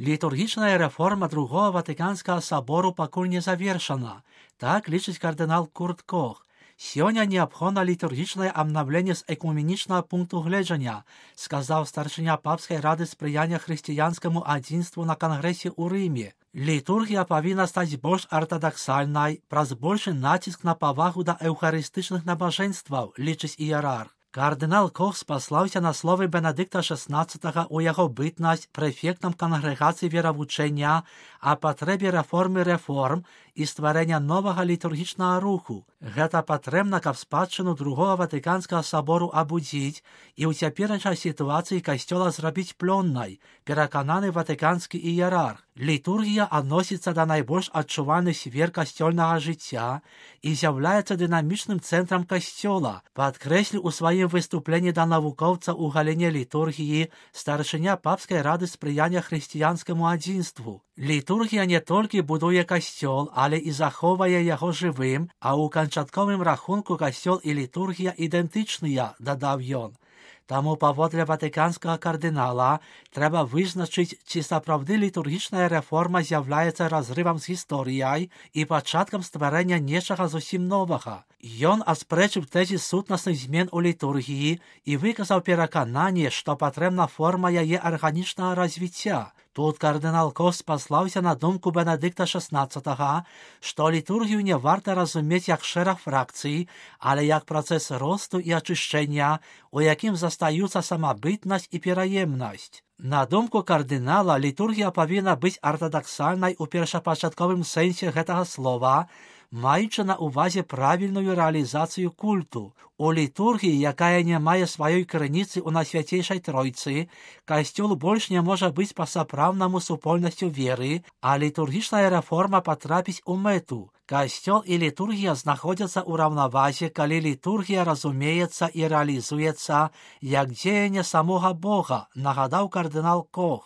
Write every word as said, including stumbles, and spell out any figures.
Літургічная рэформа другого Ватыканскага сабору пакуль не завершана, так лічыць кардынал Курт Кох. Сёння неабходна літургічнае абнаўленне з экуменічнага пункту гледжання, сказаў старшыня папскай рады спрыяння хрысціянскаму адзінству на кангрэсе ў Рыме. Літургія павінна стаць больш артадаксальнай праз большы націск на павагу да эўхарыстычных набажэнстваў, лічыць іерарх. Кардынал Кох спаслаўся на словы Бенедыкта шаснаццатага ў яго бытнасць прэфектам кангрэгацыі веравучэння о патрэбе рэформы рэформ і стварэння новага літургічнага руху. Гэта патрэбна, каб спадчыну другого Ватыканскага сабору абудзіць і ў цяперашняй сітуацыі касцёла зрабіць плённай, перакананы ватыканскі іерарх. Літургія адносіцца да найбольш адчувальных сфер касцёльнага жыцця і з'яўляецца дынамічным цэнтрам касцёла, падкрэсліў у сваім выступленні да навукоўца ў галіне літургіі старшыня папскай рады спрыяння хрысціянскаму адзінству. Літургія не толькі будуе касцёл, але і захоўвае яго жывым, а ў канчатковым рахунку касцёл і літургія ідэнтычныя, дадаў ён. Таму паводле ватыканскага кардынала трэба вызначыць, ці сапраўды літургічная рэформа з'яўляецца разрывам з гісторыяй і пачаткам стварэння нечага зусім новага. Ён аспрэчыў тэзіс сутнасных змен у літургіі і выказаў перакананне, што патрэбна форма яе арганічнага развіцця. Тут кардынал Кох спаслаўся на думку Бенедыкта шаснаццатага, што літургію не варта разумець як шэраг фракцый, але як працэс росту і ачышчэння, у якім застаюцца самабытнасць і пераемнасць. На думку кардынала, літургія павінна быць артадаксальнай у першапачатковым сэнсе гэтага слова, маючы на ўвазе правільную рэалізацыю культу. У літургіі, якая не мае сваёй крыніцы ў Найсвяцейшай Тройцы, касцёл больш не можа быць па-сапраўднаму супольнасцю веры, а літургічная рэформа патрапіць у мэту. Касцёл і літургія знаходзяцца ў раўнавазе, калі літургія разумеецца і рэалізуецца як дзеянне самога Бога, нагадаў кардынал Кох.